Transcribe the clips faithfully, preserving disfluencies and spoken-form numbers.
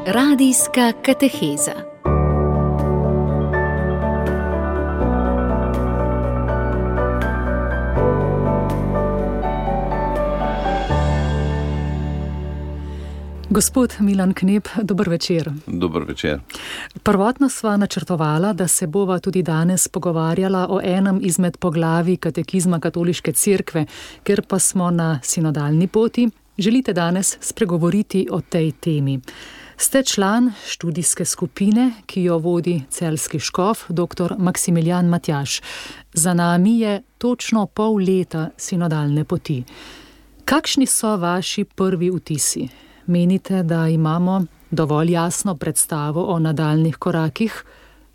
Radijska kateheza. Gospod Milan Knep, dober večer. Dober večer. Prvotno sva načrtovala, da se bova tudi danes pogovarjala o enem izmed poglavij katekizma Katoliške cerkve, ker pa smo na sinodalni poti, želite danes spregovoriti o tej temi. Ste član študijske skupine, ki jo vodi celjski škof, dr. Maksimilijan Matjaž. Za nami je točno pol leta sinodalne poti. Kakšni so vaši prvi vtisi? Menite, da imamo dovolj jasno predstavo o nadaljnih korakih,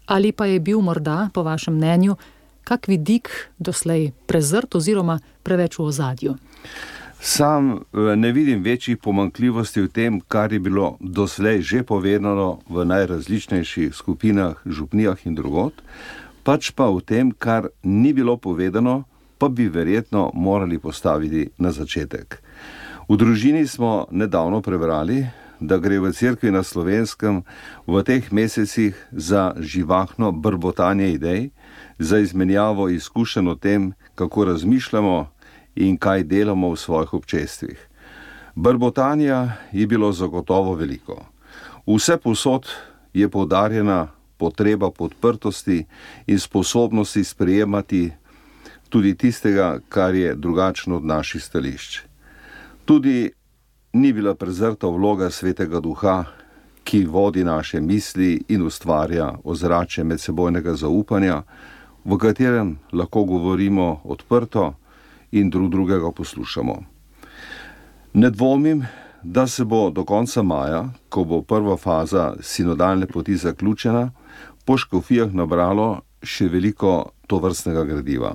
ali pa je bil morda, po vašem mnenju, kak vidik doslej prezrt oziroma preveč v ozadju? Sam ne vidim večjih pomanjkljivosti v tem, kar je bilo doslej že povedano v najrazličnejših skupinah, župnijah in drugod, pač pa v tem, kar ni bilo povedano, pa bi verjetno morali postaviti na začetek. V družini smo nedavno prebrali, da gre v cerkvi na Slovenskem v teh mesecih za živahno brbotanje idej, za izmenjavo izkušenj o tem, kako razmišljamo in kaj delamo v svojih občestvih. Brbotanja je bilo zagotovo veliko. Vse povsod je poudarjena potreba podprtosti in sposobnosti sprejemati tudi tistega, kar je drugačno od naših stališč. Tudi ni bila prezrta vloga Svetega Duha, ki vodi naše misli in ustvarja ozračje medsebojnega zaupanja, v katerem lahko govorimo odprto in drug drugega poslušamo. Ne dvomim, da se bo do konca maja, ko bo prva faza sinodalne poti zaključena, po škofijah nabralo še veliko tovrstnega gradiva.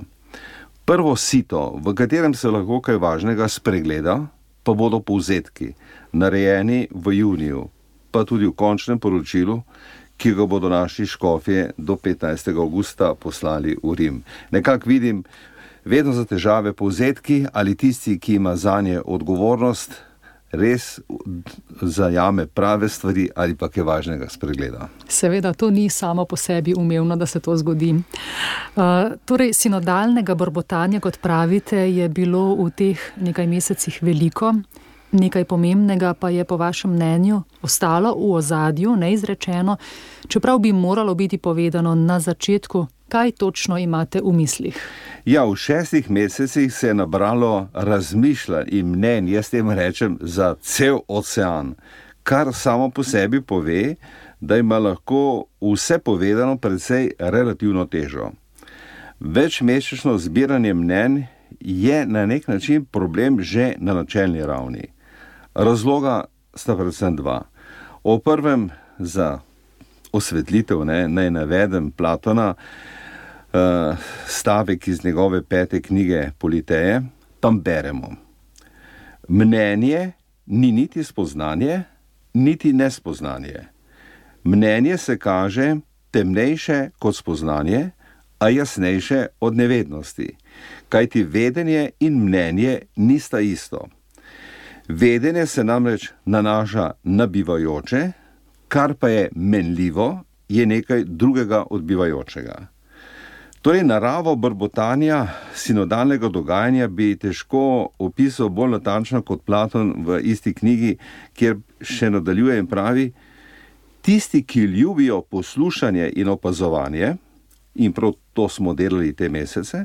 Prvo sito, v katerem se lahko kaj važnega spregleda, pa bodo povzetki, narejeni v juniju, pa tudi v končnem poročilu, ki ga bodo naši škofje do petnajstega avgusta poslali v Rim. Nekako vidim vedno za težave povzetki ali tisti, ki ima zanje odgovornost, res zajame prave stvari ali pa kaj važnega spregleda. Seveda, to ni samo po sebi umevno, da se to zgodi. Uh, torej, sinodalnega brbotanja, kot pravite, je bilo v teh nekaj mesecih veliko. Nekaj pomembnega pa je po vašem mnenju ostalo v ozadju, neizrečeno, čeprav bi moralo biti povedano na začetku. Kaj točno imate v mislih? Ja, v šestih mesecih se je nabralo razmišljanj in mnenj, jaz tem rečem, za cel ocean, kar samo po sebi pove, da ima lahko vse povedano precej relativno težo. Večmesečno zbiranje mnenj je na nek način problem že na načelni ravni. Razloga sta predvsem dva. O prvem za osvetlitev, ne, naj navedem Platona, Uh, stavek iz njegove pete knjige Politeje, tam beremo. Mnenje ni niti spoznanje, niti nespoznanje. Mnenje se kaže temnejše kot spoznanje, a jasnejše od nevednosti, kajti vedenje in mnenje nista isto. Vedenje se namreč nanaša na bivajoče, kar pa je menljivo, je nekaj drugega od bivajočega. Torej, naravo brbotanja sinodalnega dogajanja bi težko opisal bolj natančno kot Platon v isti knjigi, kjer še nadaljuje in pravi: tisti, ki ljubijo poslušanje in opazovanje, in prav to smo delali te mesece,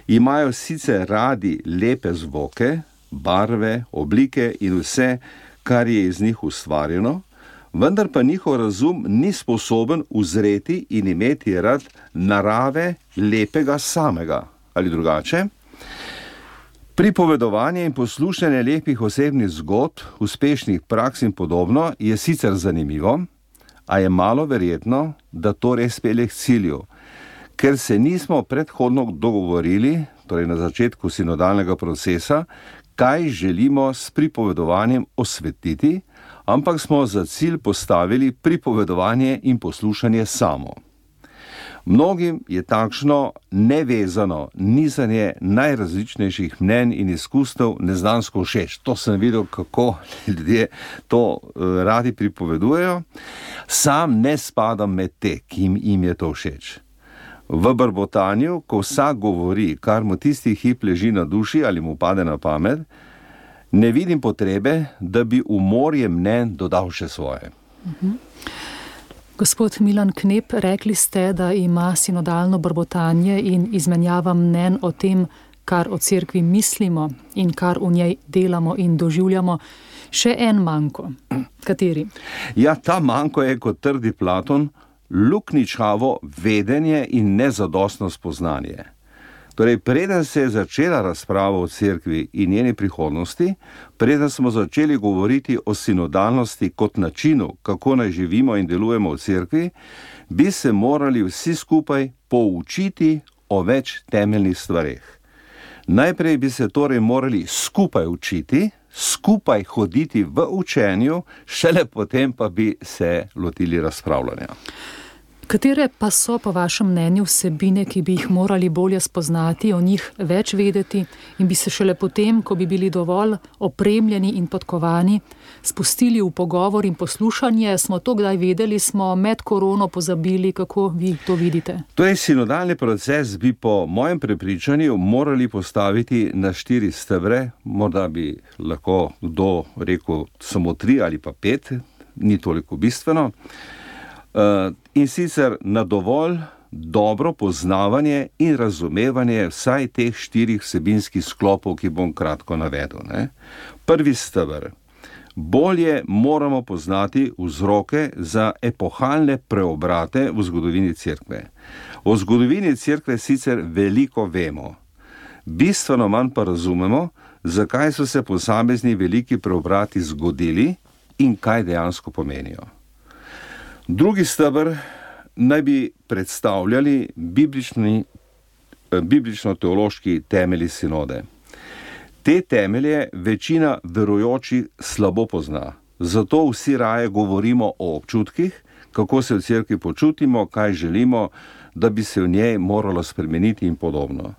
imajo sicer radi lepe zvoke, barve, oblike in vse, kar je iz njih ustvarjeno, vendar pa njihov razum ni sposoben uzreti in imeti rad narave lepega samega. Ali drugače? Pripovedovanje in poslušanje lepih osebnih zgodb, uspešnih praks in podobno je sicer zanimivo, a je malo verjetno, da to res pelje k cilju, ker se nismo predhodno dogovorili, torej na začetku sinodalnega procesa, kaj želimo s pripovedovanjem osvetliti, ampak smo za cilj postavili pripovedovanje in poslušanje samo. Mnogim je takšno nevezano nizanje najrazličnejših mnenj in izkustev neznansko všeč. To sem videl, kako ljudje to uh, radi pripovedujejo. Sam ne spadam med te, ki jim je to všeč. V brbotanju, ko vsak govori, kar mu tisti hip leži na duši ali mu pade na pamet, ne vidim potrebe, da bi v morje mnenj dodal še svoje. Uh-huh. Gospod Milan Knep, rekli ste, da ima sinodalno brbotanje in izmenjava mnenj o tem, kar o cerkvi mislimo in kar v njej delamo in doživljamo, še en manko. Kateri? Ja, ta manko je, kot trdi Platon, lukničavo vedenje in nezadostno spoznanje. Torej, preden se je začela razprava o cerkvi in njeni prihodnosti, preden smo začeli govoriti o sinodalnosti kot načinu, kako naj živimo in delujemo v cerkvi, bi se morali vsi skupaj poučiti o več temeljnih stvareh. Najprej bi se torej morali skupaj učiti, skupaj hoditi v učenju, šele potem pa bi se lotili razpravljanja. Katere pa so po vašem mnenju vsebine, ki bi jih morali bolje spoznati, o njih več vedeti in bi se šele potem, ko bi bili dovolj opremljeni in podkovani, spustili v pogovor in poslušanje? Smo to kdaj vedeli, smo med korono pozabili, kako vi to vidite? Torej, sinodalni proces bi po mojem prepričanju morali postaviti na štiri stebre, morda bi lahko kdo rekel samo tri ali pa pet, ni toliko bistveno. Uh, in sicer na dovolj dobro poznavanje in razumevanje vsaj teh štirih vsebinskih sklopov, ki bom kratko navedel. Ne? Prvi steber. Bolje moramo poznati vzroke za epohalne preobrate v zgodovini cerkve. O zgodovini cerkve sicer veliko vemo. Bistveno manj pa razumemo, zakaj so se posamezni veliki preobrati zgodili in kaj dejansko pomenijo. Drugi steber naj bi predstavljali biblični, biblično-teološki temelji sinode. Te temelje večina verujočih slabo pozna, zato vsi raje govorimo o občutkih, kako se v cerkvi počutimo, kaj želimo, da bi se v njej moralo spremeniti in podobno.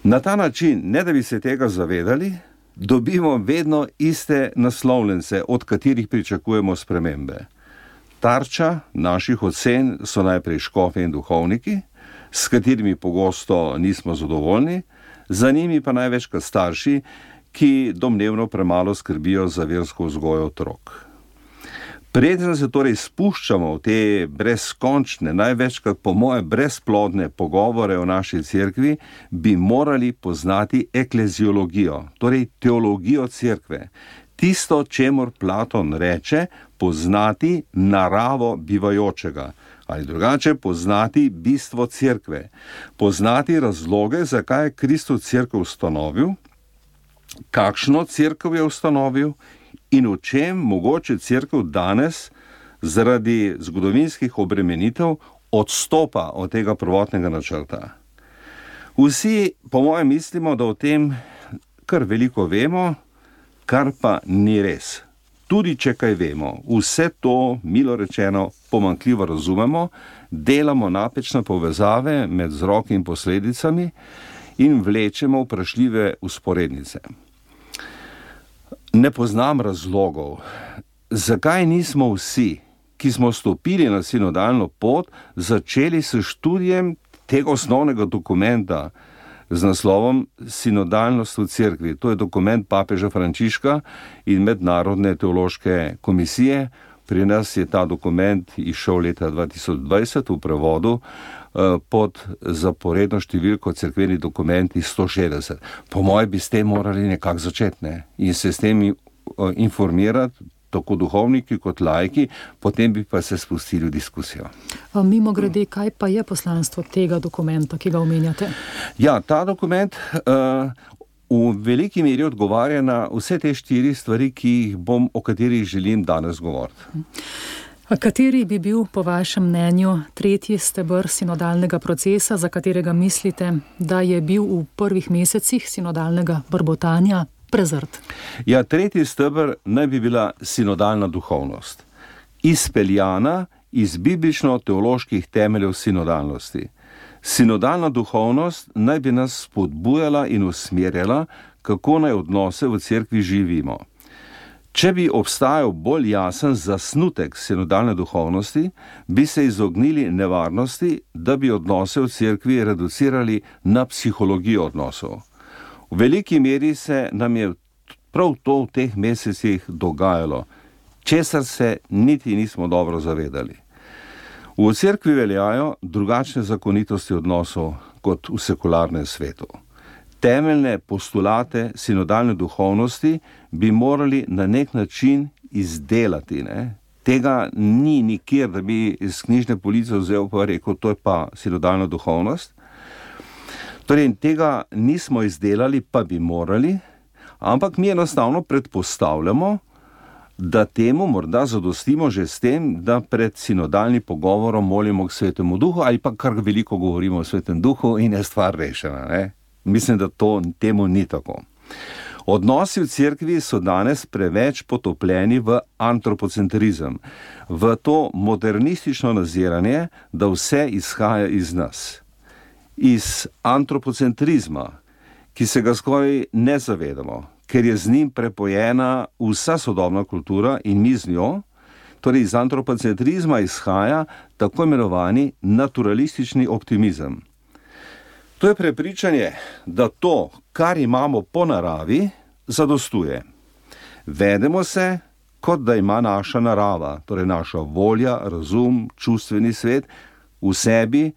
Na ta način, ne da bi se tega zavedali, dobimo vedno iste naslovljence, od katerih pričakujemo spremembe. Tarča naših ocen so najprej škofe in duhovniki, s katerimi pogosto nismo zadovoljni, za njimi pa največkrat starši, ki domnevno premalo skrbijo za versko vzgojo otrok. Preden se torej spuščamo v te brezkončne, največkrat po moje brezplodne pogovore o naši cerkvi, bi morali poznati ekleziologijo, torej teologijo cerkve. Tisto, čemur Platon reče, poznati naravo bivajočega, ali drugače poznati bistvo cerkve, poznati razloge, zakaj je Kristus cerkev ustanovil, kakšno cerkev je ustanovil in v čem mogoče cerkev danes zaradi zgodovinskih obremenitev odstopa od tega prvotnega načrta. Vsi, po mojem, mislimo, da o tem kar veliko vemo, kar pa ni res. Tudi če kaj vemo, vse to, milo rečeno, pomanjkljivo razumemo, delamo napačne povezave med vzroki in posledicami in vlečemo vprašljive vzporednice. Ne poznam razlogov, zakaj nismo vsi, ki smo stopili na sinodalno pot, začeli s študijem tega osnovnega dokumenta z naslovom Sinodalnost v cerkvi. To je dokument papeža Frančiška in Mednarodne teološke komisije. Pri nas je ta dokument izšel leta dva tisoč dvajset v prevodu pod zaporedno številko cerkveni dokumenti sto šestdeset. Po moje bi s tem morali nekako začeti, ne? In se s tem informirati, tako duhovniki kot laiki, potem bi pa se spustili v diskusijo. Mimo grede, kaj pa je poslanstvo tega dokumenta, ki ga omenjate? Ja, ta dokument uh, v veliki meri odgovarja na vse te štiri stvari, ki jih bom, o katerih želim danes govoriti. A kateri bi bil po vašem mnenju tretji steber sinodalnega procesa, za katerega mislite, da je bil v prvih mesecih sinodalnega brbotanja prezrt? Ja, tretji steber naj bi bila sinodalna duhovnost. Izpeljana iz biblično-teoloških temeljev sinodalnosti. Sinodalna duhovnost naj bi nas spodbujala in usmerjala, kako naj odnose v cerkvi živimo. Če bi obstajal bolj jasen zasnutek sinodalne duhovnosti, bi se izognili nevarnosti, da bi odnose v cerkvi reducirali na psihologijo odnosov. V veliki meri se nam je prav to v teh mesecih dogajalo, česar se niti nismo dobro zavedali. V cerkvi veljajo drugačne zakonitosti odnosov kot v sekularnem svetu. Temeljne postulate sinodalne duhovnosti bi morali na nek način izdelati. Ne? Tega ni nikjer, da bi iz knjižne police vzel pa rekel, to je pa sinodalna duhovnost. Torej, tega nismo izdelali, pa bi morali, ampak mi enostavno predpostavljamo, da temu morda zadostimo že s tem, da pred sinodalnim pogovorom molimo k Svetemu Duhu ali pa kar veliko govorimo o Svetem Duhu in je stvar rešena. Ne? Mislim, da to temu ni tako. Odnosi v cerkvi so danes preveč potopljeni v antropocentrizem, v to modernistično naziranje, da vse izhaja iz nas. Iz antropocentrizma, ki se ga skoraj ne zavedamo, ker je z njim prepojena vsa sodobna kultura in mi z njo, torej iz antropocentrizma izhaja tako imenovani naturalistični optimizem. To je prepričanje, da to, kar imamo po naravi, zadostuje. Vedemo se, kot da ima naša narava, torej naša volja, razum, čustveni svet, v sebi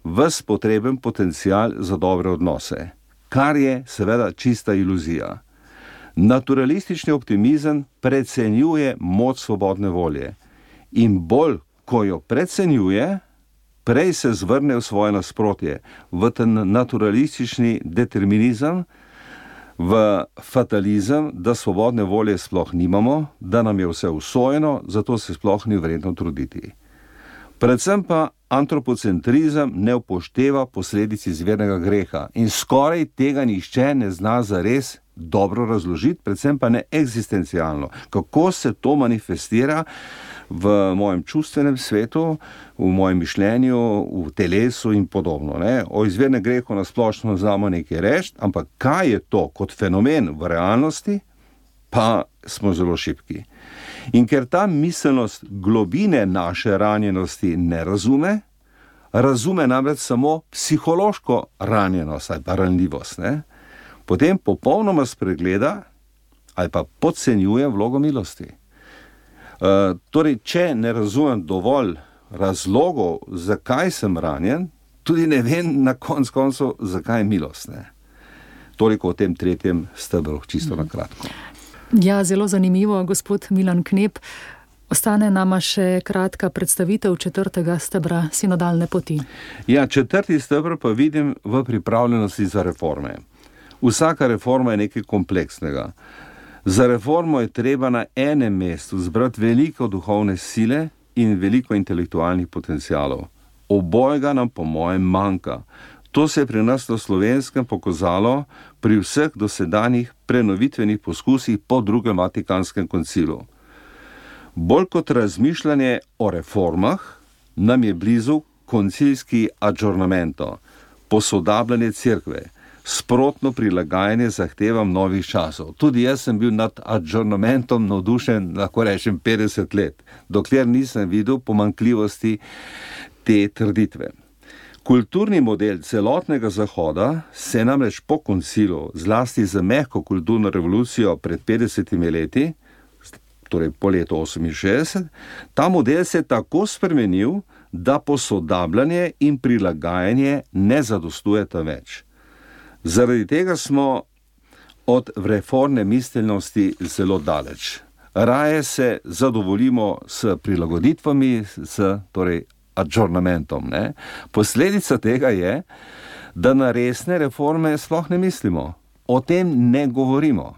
ves potreben potencial za dobre odnose, kar je seveda čista iluzija. Naturalistični optimizem precenjuje moč svobodne volje in bolj, ko jo precenjuje, prej se zvrne v svoje nasprotje, v ten naturalistični determinizem, v fatalizem, da svobodne volje sploh nimamo, da nam je vse usojeno, zato se sploh ni vredno truditi. Predvsem pa antropocentrizem ne upošteva posledic izvirnega greha in skoraj tega nihče ne zna zares dobro razložiti, predvsem pa ne eksistencialno, kako se to manifestira v mojem čustvenem svetu, v mojem mišljenju, v telesu in podobno. Ne? O izvirnem grehu nasplošno znamo nekaj reči, ampak kaj je to kot fenomen v realnosti, pa smo zelo šibki. In ker ta miselnost globine naše ranjenosti ne razume, razume namreč samo psihološko ranjenost ali pa ranljivost, ne? Potem popolnoma spregleda ali pa podcenjuje vlogo milosti. Uh, torej, če ne razumem dovolj razlogov, zakaj sem ranjen, tudi ne vem na konc koncev, zakaj je milost. Ne? Toliko o tem tretjem stebru, čisto na kratko. Ja, zelo zanimivo, gospod Milan Knep. Ostane nama še kratka predstavitev četrtega stebra sinodalne poti. Ja, četrti stebr pa vidim v pripravljenosti za reforme. Vsaka reforma je nekaj kompleksnega. Za reformo je treba na enem mestu zbrati veliko duhovne sile in veliko intelektualnih potencialov. Obojega nam po mojem manjka. To se je pri nas na Slovenskem pokazalo pri vseh dosedanjih prenovitvenih poskusih po drugem Vatikanskem koncilu. Bolj kot razmišljanje o reformah, nam je blizu koncilski adžornamento, posodabljanje cerkve, sprotno prilagajanje zahtevam novih časov. Tudi jaz sem bil nad adžornamentom navdušen, lahko rečem, petdeset let, dokler nisem videl pomanjkljivosti te trditve. Kulturni model celotnega Zahoda se namreč po koncilu, zlasti z mehko kulturno revolucijo pred petdesetimi leti, torej po letu oseminšestdeset, ta model se je tako spremenil, da posodabljanje in prilagajanje ne zadostujeta več. Zaradi tega smo od reformne miselnosti zelo daleč. Raje se zadovoljimo s prilagoditvami, s torej adžornamentom. Ne? Posledica tega je, da na resne reforme sploh ne mislimo. O tem ne govorimo.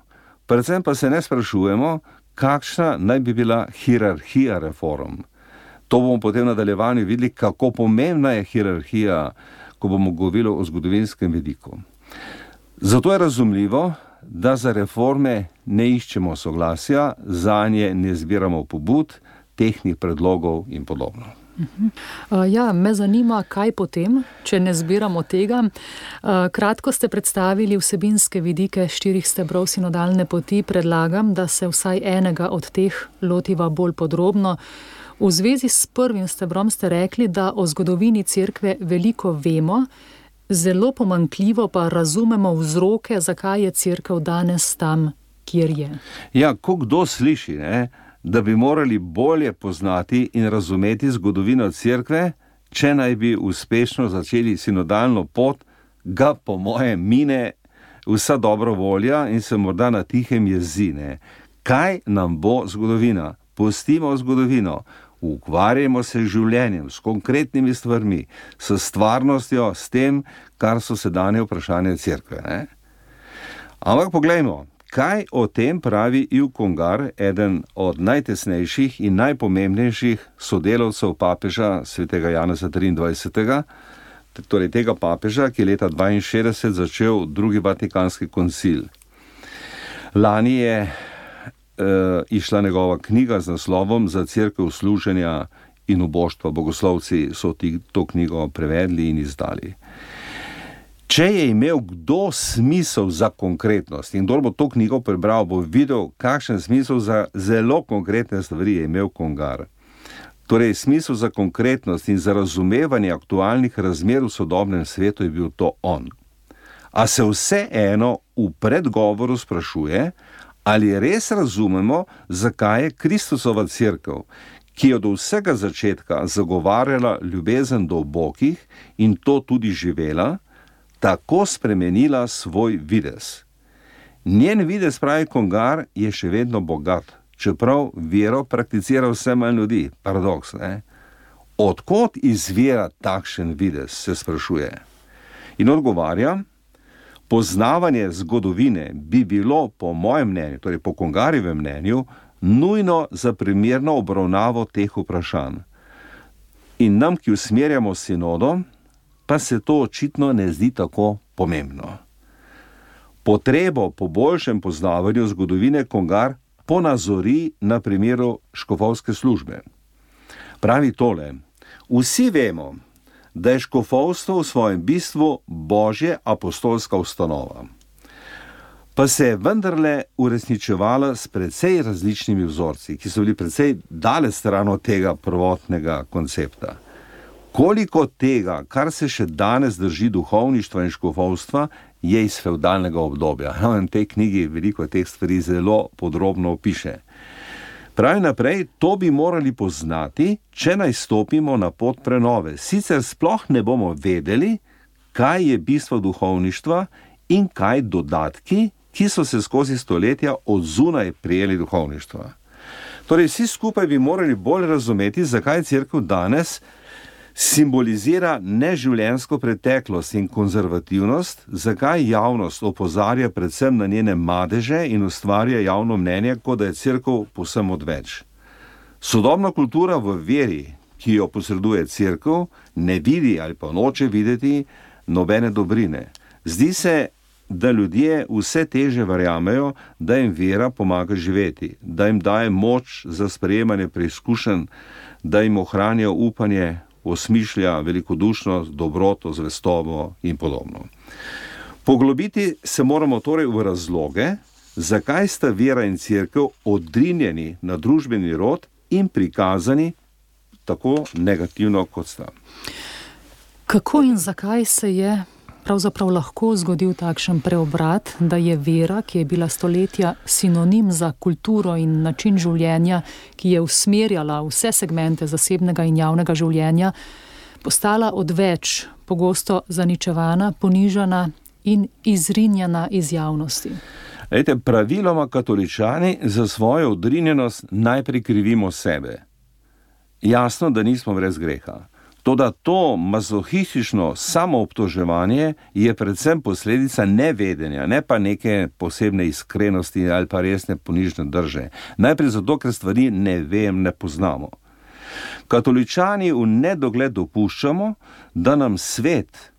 Predvsem pa se ne sprašujemo, kakšna naj bi bila hierarhija reform. To bomo potem v nadaljevanju videli, kako pomembna je hierarhija, ko bomo govorili o zgodovinskem vidiku. Zato je razumljivo, da za reforme ne iščemo soglasja, zanje ne zbiramo pobud, tehnih predlogov in podobno. Uh, ja, me zanima, kaj potem, če ne zbiramo tega. Uh, kratko ste predstavili vsebinske vidike štirih stebrov sinodalne poti. Predlagam, da se vsaj enega od teh lotiva bolj podrobno. V zvezi s prvim stebrom ste rekli, da o zgodovini cerkve veliko vemo, zelo pomanjkljivo pa razumemo vzroke, zakaj je cerkev danes tam, kjer je. Ja, ko kdo sliši, ne? Da bi morali bolje poznati in razumeti zgodovino cerkve, če naj bi uspešno začeli sinodalno pot, ga po moje mine vsa dobra volja in se morda na tihem jezi. Ne? Kaj nam bo zgodovina? Pustimo zgodovino, ukvarjamo se z življenjem, s konkretnimi stvarmi, s stvarnostjo, s tem, kar so sedanje vprašanje cerkve. Ne? Ampak poglejmo, kaj o tem pravi Yves Congar, eden od najtesnejših in najpomembnejših sodelavcev papeža svetega Janeza triindvajsetega, torej tega papeža, ki je leta dvainšestdeset začel drugi vatikanski koncil. Lani je e, išla njegova knjiga z naslovom Za cerkev služenja in uboštva. Bogoslovci so ti, to knjigo prevedli in izdali. Če je imel kdo smisel za konkretnost in kdo bo to knjigo prebral, bo videl, kakšen smisel za zelo konkretne stvari je imel Congar. Torej, smisel za konkretnost in za razumevanje aktualnih razmer v sodobnem svetu je bil to on. A se vseeno v predgovoru sprašuje, ali res razumemo, zakaj je Kristusova cerkev, ki je do vsega začetka zagovarjala ljubezen do ubogih in to tudi živela, tako spremenila svoj videz. Njen videz, pravi Congar, je še vedno bogat, čeprav vero prakticira vse manj ljudi. Paradoks, ne? Odkot izvira takšen videz, se sprašuje. In odgovarja, poznavanje zgodovine bi bilo po mojem mnenju, torej po Congarjevem mnenju, nujno za primerno obravnavo teh vprašanj. In nam, ki usmerjamo sinodo, pa se to očitno ne zdi tako pomembno. Potrebo po boljšem poznavanju zgodovine Congar ponazori na primeru škofovske službe. Pravi tole: vsi vemo, da je škofovstvo v svojem bistvu božje apostolska ustanova, pa se je vendarle uresničevala s precej različnimi vzorci, ki so bili precej daleč stran od tega prvotnega koncepta. Koliko tega, kar se še danes drži duhovništva in škofovstva, je iz fevdalnega obdobja. No, in v tej knjigi veliko teh stvari zelo podrobno opiše. Pravi naprej, to bi morali poznati, če naj stopimo na pot prenove. Sicer sploh ne bomo vedeli, kaj je bistvo duhovništva in kaj dodatki, ki so se skozi stoletja od zunaj prijeli duhovništva. Torej, vsi skupaj bi morali bolj razumeti, zakaj cerkev danes simbolizira neživljenjsko preteklost in konzervativnost, zakaj javnost opozarja predvsem na njene madeže in ustvarja javno mnenje, kot da je cerkev povsem odveč. Sodobna kultura v veri, ki jo posreduje cerkev, ne vidi ali pa noče videti nobene dobrine. Zdi se, da ljudje vse teže verjamejo, da jim vera pomaga živeti, da jim daje moč za sprejemanje preizkušenj, da jim ohranja upanje, osmišlja velikodušnost, dobroto, zvestobo in podobno. Poglobiti se moramo torej v razloge, zakaj sta vera in cerkev odrinjeni na družbeni rod in prikazani tako negativno, kot sta. Kako in zakaj se je pravzaprav lahko zgodil takšen preobrat, da je vera, ki je bila stoletja sinonim za kulturo in način življenja, ki je usmerjala vse segmente zasebnega in javnega življenja, postala odveč, pogosto zaničevana, ponižana in izrinjena iz javnosti? Ejte, praviloma katoličani za svojo odrinjenost najprej krivimo sebe. Jasno, da nismo brez greha. Toda to mazohistično samoobtoževanje je predvsem posledica nevedenja, ne pa neke posebne iskrenosti ali pa resne ponižne drže. Najprej zato, ker stvari ne vem, ne poznamo. Katoličani v nedogled dopuščamo, da nam svet,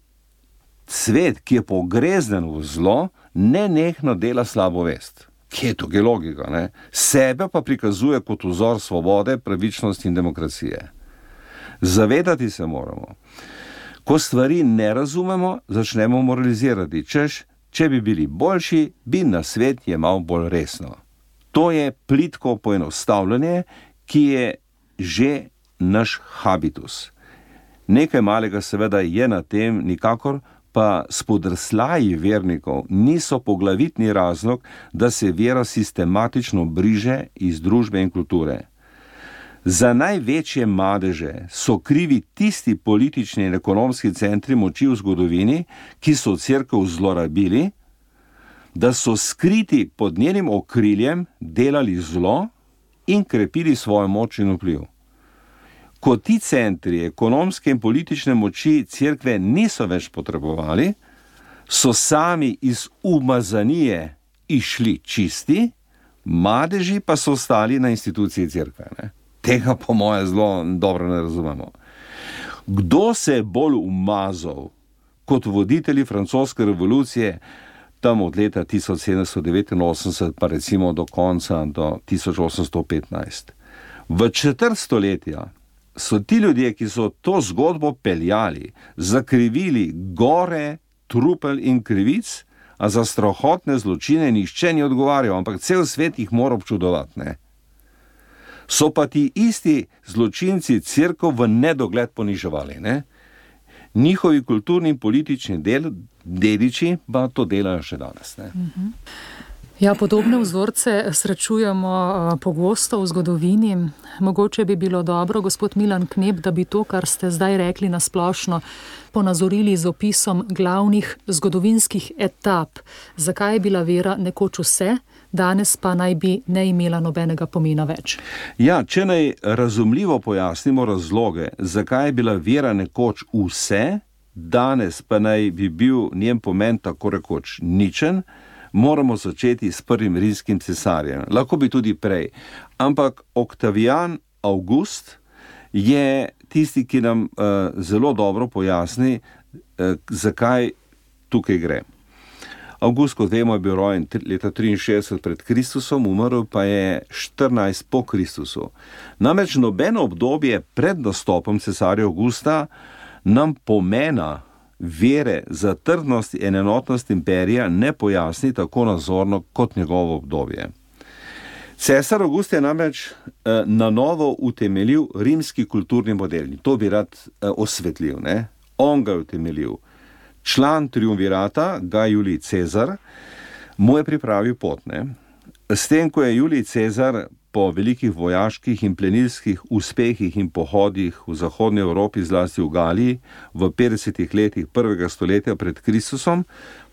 svet, ki je pogreznen v zlo, nenehno dela slabo vest. Kje je tukaj logika, ne? Sebe pa prikazuje kot vzor svobode, pravičnosti in demokracije. Zavedati se moramo. Ko stvari ne razumemo, začnemo moralizirati, češ, če bi bili boljši, bi na svet jemal bolj resno. To je plitko poenostavljanje, ki je že naš habitus. Nekaj malega seveda je na tem, nikakor pa spodrslaji vernikov niso poglavitni razlog, da se vera sistematično briže iz družbe in kulture. Za največje madeže so krivi tisti politični in ekonomski centri moči v zgodovini, ki so cerkev zlorabili, da so skriti pod njenim okriljem delali zlo in krepili svojo moč in vpliv. Ko ti centri ekonomske in politične moči cerkve niso več potrebovali, so sami iz umazanije išli čisti, madeži pa so ostali na instituciji cerkve. Ne? Tega po moje zelo dobro ne razumemo. Kdo se je bolj umazal kot voditelji francoske revolucije tam od leta tisoč sedemsto devetinosemdeset pa recimo do konca do tisoč osemsto petnajst? V četrt stoletja so ti ljudje, ki so to zgodbo peljali, zakrivili gore trupel in krivic, a za strahotne zločine nihče ni odgovarjal, ampak cel svet jih mora občudovati, ne? So pa ti isti zločinci cerkev v nedogled poniževali, ne? Njihovi kulturni in politični del, dediči pa to delajo še danes, ne? Ja, podobne vzorce srečujemo pogosto v zgodovini. Mogoče bi bilo dobro, gospod Milan Knep, da bi to, kar ste zdaj rekli na splošno, ponazorili z opisom glavnih zgodovinskih etap. Zakaj je bila vera nekoč vse, danes pa naj bi ne imela nobenega pomena več? Ja, če naj razumljivo pojasnimo razloge, zakaj je bila vera nekoč vse, danes pa naj bi bil njen pomen tako rekoč ničen, moramo začeti s prvim rimskim cesarjem. Lahko bi tudi prej. Ampak Oktavijan Avgust je tisti, ki nam uh, zelo dobro pojasni, uh, zakaj tukaj gre. Avgust, kot vemo, je bil rojen leta triinšestdeset pred Kristusom, umrl pa je štirinajst po Kristusu. Namreč nobeno obdobje pred nastopom cesarja Avgusta nam pomena vere za trdnost in enotnost imperija ne pojasni tako nazorno kot njegovo obdobje. Cesar Avgust je namreč eh, na novo utemeljil rimski kulturni model. To bi rad eh, osvetlil, ne? On ga je utemeljil. Član triumvirata, ga Julij Cezar, mu je pripravil pot, ne? S tem, ko je Julij Cezar po velikih vojaških in plenilskih uspehih in pohodih v zahodnji Evropi, zlasti v Galiji, v petdesetih letih prvega stoletja pred Kristusom,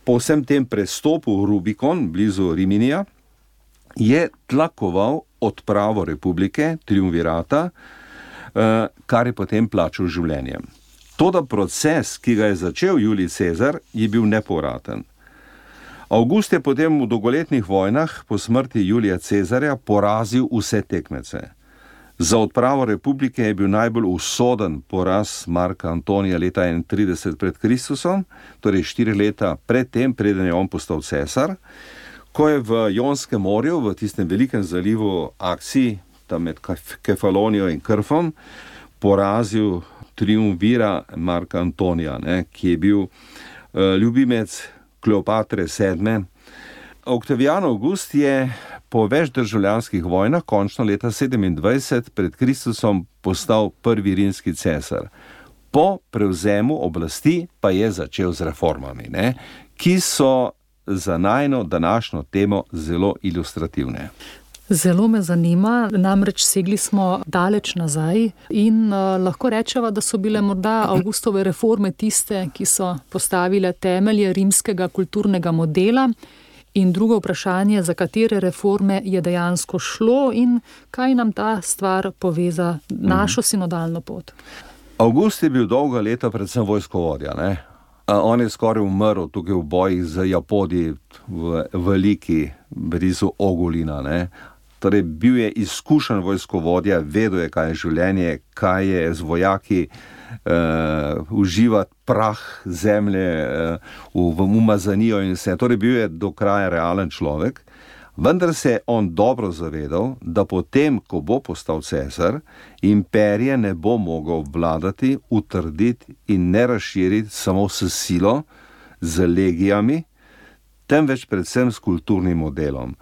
po vsem tem prestopu v Rubikon, blizu Riminija, je tlakoval odpravo republike, triumvirata, kar je potem plačal življenjem. Toda proces, ki ga je začel Julij Cezar, je bil nepovraten. Avgust je potem v dolgoletnih vojnah po smrti Julija Cezarja porazil vse tekmece. Za odpravo republike je bil najbolj usoden poraz Marka Antonija leta enaintrideset pred Kristusom, torej štiri leta pred tem, preden je on postal cesar, ko je v Jonskem morju, v tistem velikem zalivu akciji, tam med Kefalonijo in Krfom, porazil triumvira Marka Antonija, ne, ki je bil uh, ljubimec Kleopatre sedme. Oktavijan Avgust je po več državljanskih vojnah končno leta sedemindvajset pred Kristusom postal prvi rimski cesar. Po prevzemu oblasti pa je začel z reformami, ne, ki so za najino današnjo temo zelo ilustrativne. Zelo me zanima, namreč segli smo daleč nazaj in uh, lahko rečeva, da so bile morda Avgustove reforme tiste, ki so postavile temelje rimskega kulturnega modela, in drugo vprašanje, za katere reforme je dejansko šlo in kaj nam ta stvar poveza našo sinodalno pot. Avgust je bil dolga leta predvsem vojskovodja, ne? On je skoraj umrl tukaj v bojih z Japodi v veliki blizu Ogulina, ne? Torej, bil je izkušen vojskovodja, vedel je, kaj je življenje, kaj je z vojaki uh, uživati prah zemlje uh, v, v umazanijo in vse. Torej, bil je do kraja realen človek, Vendar se je on dobro zavedal, da potem, ko bo postal cesar, imperije ne bo mogel vladati, utrditi in ne razširiti samo s silo, z legijami, temveč predvsem s kulturnim modelom,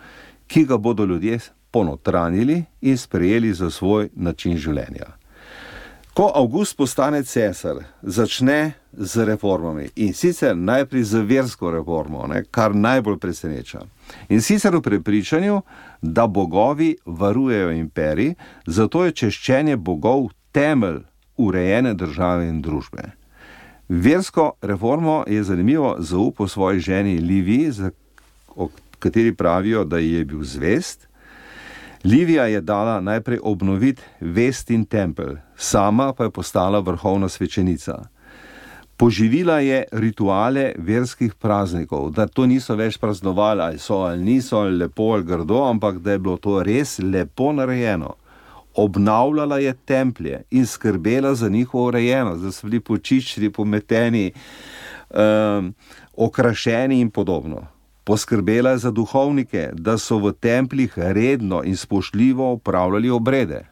ki ga bodo ljudje ponotranili in sprejeli za svoj način življenja. Ko Avgust postane cesar, začne z reformami in sicer najprej z versko reformo, ne, kar najbolj preseneča. In sicer v prepričanju, da bogovi varujejo imperij, zato je češčenje bogov temelj urejene države in družbe. Versko reformo je zanimivo zaupal svoji ženi Liviji, o kateri pravijo, da ji je bil zvest. Livija je dala najprej obnoviti Vestin tempelj, sama pa je postala vrhovna svečenica. Poživila je rituale verskih praznikov, da to niso več praznovali, ali so ali niso, ali lepo ali grdo, ampak da je bilo to res lepo narejeno. Obnavljala je templje in skrbela za njihovo urejenost, da so bili počiščeni, pometeni, um, okrašeni in podobno. Poskrbela je za duhovnike, da so v templjih redno in spoštljivo opravljali obrede.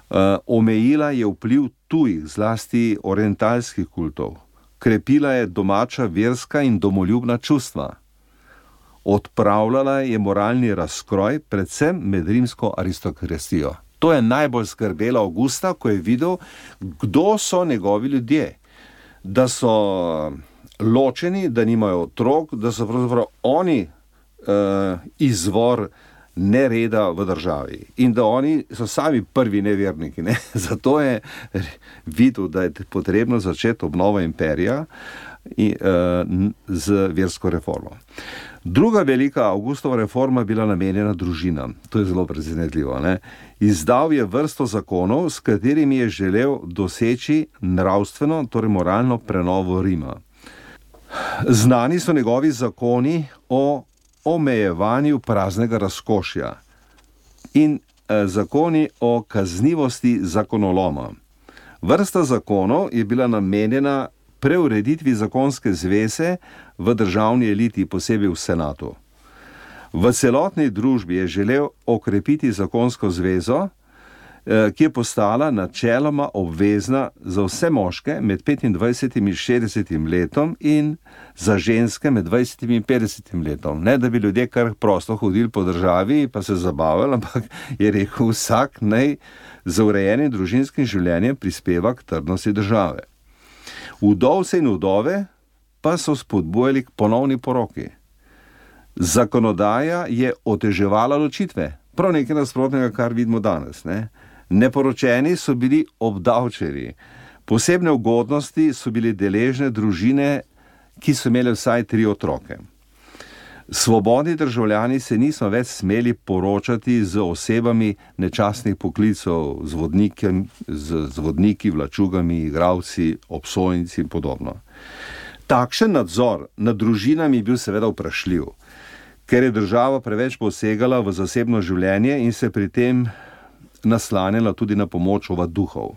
Uh, omejila je vpliv tujih, zlasti orientalskih kultov. Krepila je domača verska in domoljubna čustva. Odpravljala je moralni razkroj, predvsem med rimsko aristokracijo. To je najbolj skrbela Avgusta, ko je videl, kdo so njegovi ljudje. Da so ločeni, da nimajo otrok, da so pravzaprav oni uh, izvor nereda v državi in da oni so sami prvi neverniki. Ne? Zato je videl, da je potrebno začeti obnovo imperija in, uh, z versko reformo. Druga velika Avgustova reforma bila namenjena družinam. To je zelo presenetljivo. Ne? Izdal je vrsto zakonov, s katerimi je želel doseči nravstveno, torej moralno prenovo Rima. Znani so njegovi zakoni o omejevanju praznega razkošja in eh, zakoni o kaznivosti zakonoloma. Vrsta zakonov je bila namenjena preureditvi zakonske zveze v državni eliti, posebej v senatu. V celotni družbi je želel okrepiti zakonsko zvezo, ki je postala načeloma obvezna za vse moške med petindvajsetim in šestdesetim letom in za ženske med dvajsetim in petdesetim letom. Ne, da bi ljudje kar prosto hodili po državi pa se zabavali, ampak je rekel, vsak naj za urejenim družinskim življenjem prispeva k trdnosti države. Vdovce in vdove pa so spodbujali k ponovni poroki. Zakonodaja je oteževala ločitve, prav nekaj nasprotnega, kar vidimo danes. Ne? Neporočeni so bili obdavčeni, posebne ugodnosti so bili deležne družine, ki so imeli vsaj tri otroke. Svobodni državljani se niso več smeli poročati z osebami nečastnih poklicev, z, z, z vodniki, vlačugami, igralci, obsojenci in podobno. Takšen nadzor nad družinami je bil seveda vprašljiv, ker je država preveč posegala v zasebno življenje in se pri tem naslanjala tudi na pomoč ovaduhov.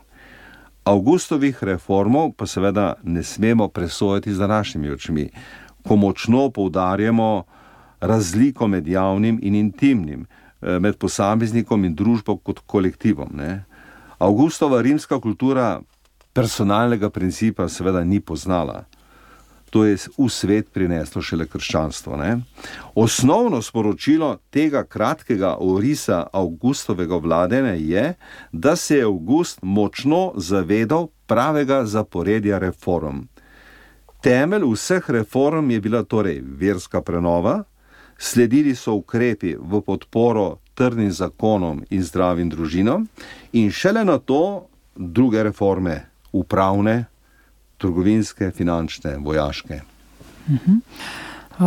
Avgustovih reformov pa seveda ne smemo presojati z današnjimi očmi, ko močno poudarjamo razliko med javnim in intimnim, med posameznikom in družbo kot kolektivom. Ne? Avgustova rimska kultura personalnega principa seveda ni poznala. To je v svet prineslo šele krščanstvo. Ne? Osnovno sporočilo tega kratkega orisa Avgustovega vladanja je, da se je Avgust močno zavedal pravega zaporedja reform. Temelj vseh reform je bila torej verska prenova, sledili so ukrepi v podporo trdnim zakonom in zdravim družinam in šele na to druge reforme, upravne, trgovinske, finančne, vojaške.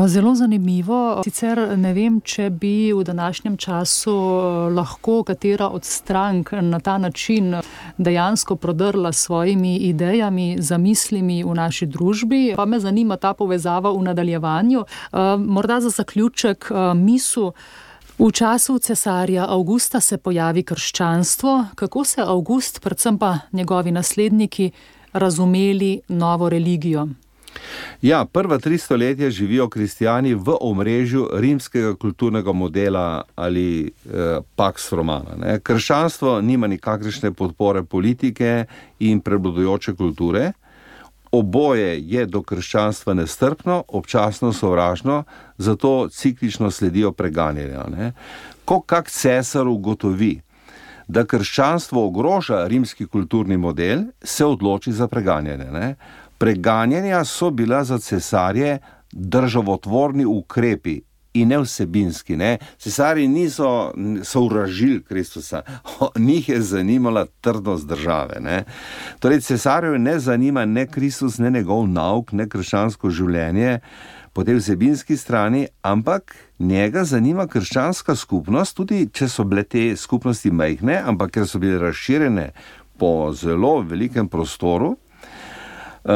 Zelo zanimivo. Sicer ne vem, če bi v današnjem času lahko katera od strank na ta način dejansko prodrla s svojimi idejami, zamislimi v naši družbi. Pa me zanima ta povezava v nadaljevanju. Morda za zaključek misel. V času cesarja Avgusta se pojavi krščanstvo. Kako se Avgust, predvsem pa njegovi nasledniki, razumeli novo religijo? Ja, prva tri stoletja živijo kristijani v omrežju rimskega kulturnega modela ali eh, pax romana. Ne. Krščanstvo nima nikakršne podpore politike in prevladujoče kulture. Oboje je do krščanstva nestrpno, občasno sovražno, zato ciklično sledijo preganjanja. Ne. Ko kak cesar ugotovi, da krščanstvo ogroža rimski kulturni model, se odloči za preganjanje. Ne. Preganjanja so bila za cesarje državotvorni ukrepi in ne vsebinski. Ne. Cesarji niso sovražili Kristusa, njih je zanimala trdnost države. Ne. Torej, cesarjev ne zanima ne Kristus, ne njegov nauk, ne krščansko življenje po tej vsebinski strani, ampak njega zanima krščanska skupnost, tudi če so bile te skupnosti majhne, ampak ker so bile razširjene po zelo velikem prostoru, Uh,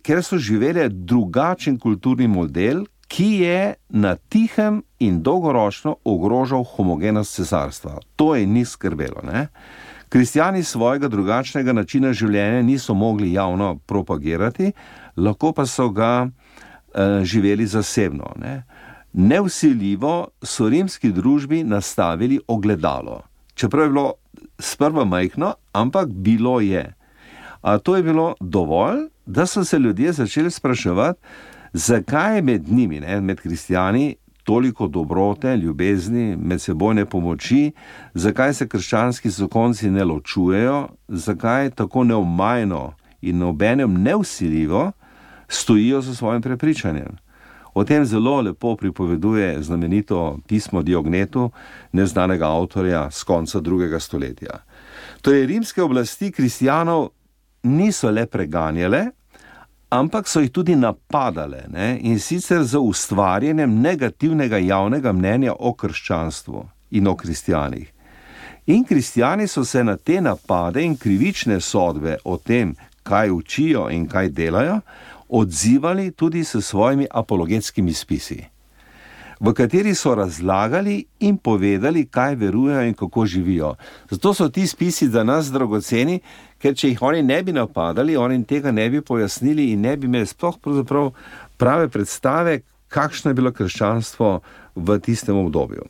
ker so živeli drugačen kulturni model, ki je na tihem in dolgoročno ogrožal homogenost cesarstva. To je ni skrbelo. Ne? Kristjani svojega drugačnega načina življenja niso mogli javno propagirati, lahko pa so ga uh, živeli zasebno. Ne? Nevsiljivo so rimski družbi nastavili ogledalo. Čeprav je bilo sprva majhno, ampak bilo je. A to je bilo dovolj, da so se ljudje začeli spraševati, zakaj je med njimi, ne, med kristijani, toliko dobrote, ljubezni, medsebojne pomoči, zakaj se krščanski zakonci ne ločujejo, zakaj tako neomajno in obenem nevsiljivo stojijo za svojim prepričanjem. O tem zelo lepo pripoveduje znamenito pismo Diognetu, neznanega avtorja z konca drugega stoletja. Torej, rimske oblasti kristijanov niso le preganjale, ampak so jih tudi napadale, ne? In sicer z ustvarjanjem negativnega javnega mnenja o krščanstvu in o kristijanih. In kristijani so se na te napade in krivične sodbe o tem, kaj učijo in kaj delajo, odzivali tudi s svojimi apologetskimi spisi, v kateri so razlagali in povedali, kaj verujejo in kako živijo. Zato so ti spisi za nas dragoceni, ker če jih oni ne bi napadali, oni tega ne bi pojasnili in ne bi imeli sploh pravzaprav prave predstave, kakšno je bilo krščanstvo v tistem obdobju.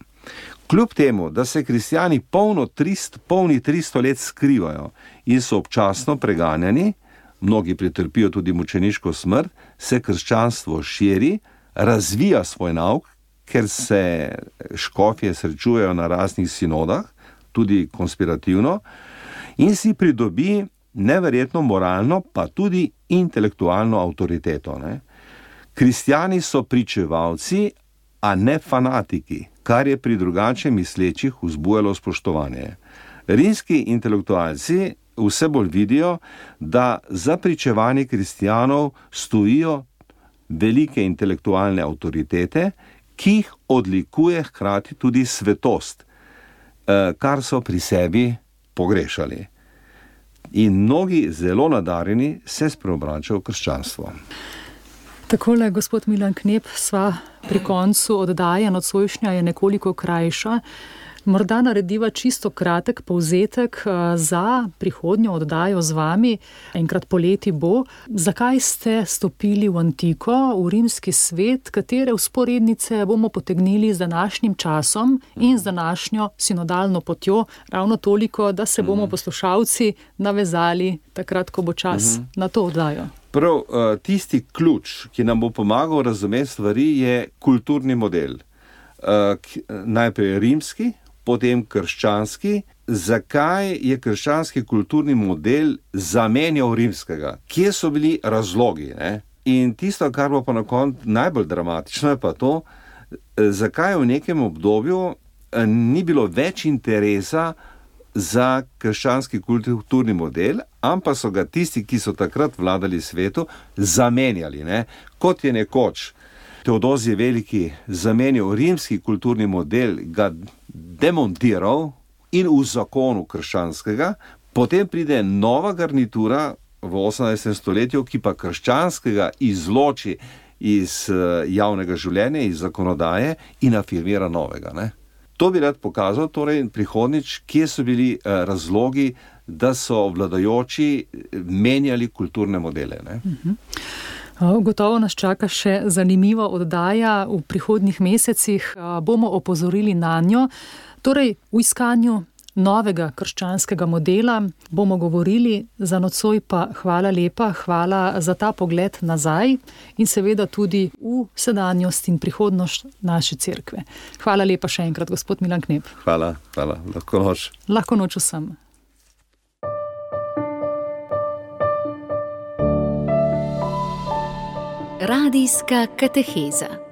Kljub temu, da se kristijani polno trist, polni tristo let skrivajo in so občasno preganjani, mnogi pretrpijo tudi mučeniško smrt, se krščanstvo širi, razvija svoj nauk, ker se škofje srečujejo na raznih sinodah, tudi konspirativno, in si pridobi neverjetno moralno, pa tudi intelektualno avtoriteto. Ne? Kristijani so pričevalci, a ne fanatiki, kar je pri drugače mislečih vzbujalo spoštovanje. Rimski intelektualci vse bolj vidijo, da za pričevanje kristijanov stojijo velike intelektualne avtoritete, ki jih odlikuje hkrati tudi svetost, kar so pri sebi pogrešali. In mnogi zelo nadarjeni se spreobračajo v krščanstvo. Takole, gospod Milan Knep, sva pri koncu oddaje, nocojšnja je nekoliko krajša. Morda narediva čisto kratek povzetek za prihodnjo oddajo z vami, enkrat poleti bo. Zakaj ste stopili v antiko, v rimski svet, katere vzporednice bomo potegnili z današnjim časom in z današnjo sinodalno potjo, ravno toliko, da se bomo poslušalci navezali takrat, ko bo čas uh-huh. na to oddajo. Prav, tisti ključ, ki nam bo pomagal razumeti stvari, je kulturni model. Najprej rimski, potem krščanski. Zakaj je krščanski kulturni model zamenjal rimskega? Kje so bili razlogi? Ne? In tisto, kar bo pa na koncu najbolj dramatično, je pa to, zakaj v nekem obdobju ni bilo več interesa za krščanski kulturni model, ampak so ga tisti, ki so takrat vladali svetu, zamenjali. Ne? Kot je nekoč Teodozij Veliki zamenjal rimski kulturni model, ga demontiral in v zakonu krščanskega, potem pride nova garnitura v osemnajstem stoletju, ki pa krščanskega izloči iz javnega življenja, iz zakonodaje in afirmira novega. Ne? To bi rad pokazal, torej prihodnič, kje so bili razlogi, da so vladajoči menjali kulturne modele. Ne? Uh-huh. Gotovo nas čaka še zanimiva oddaja v prihodnjih mesecih. Bomo opozorili na njo. Torej, v iskanju novega krščanskega modela bomo govorili, za nocoj pa hvala lepa, hvala za ta pogled nazaj in seveda tudi v sedanjost in prihodnost naše cerkve. Hvala lepa še enkrat, gospod Milan Knep. Hvala, hvala. Lahko noč. Lahko noč vsem. Radijska kateheza.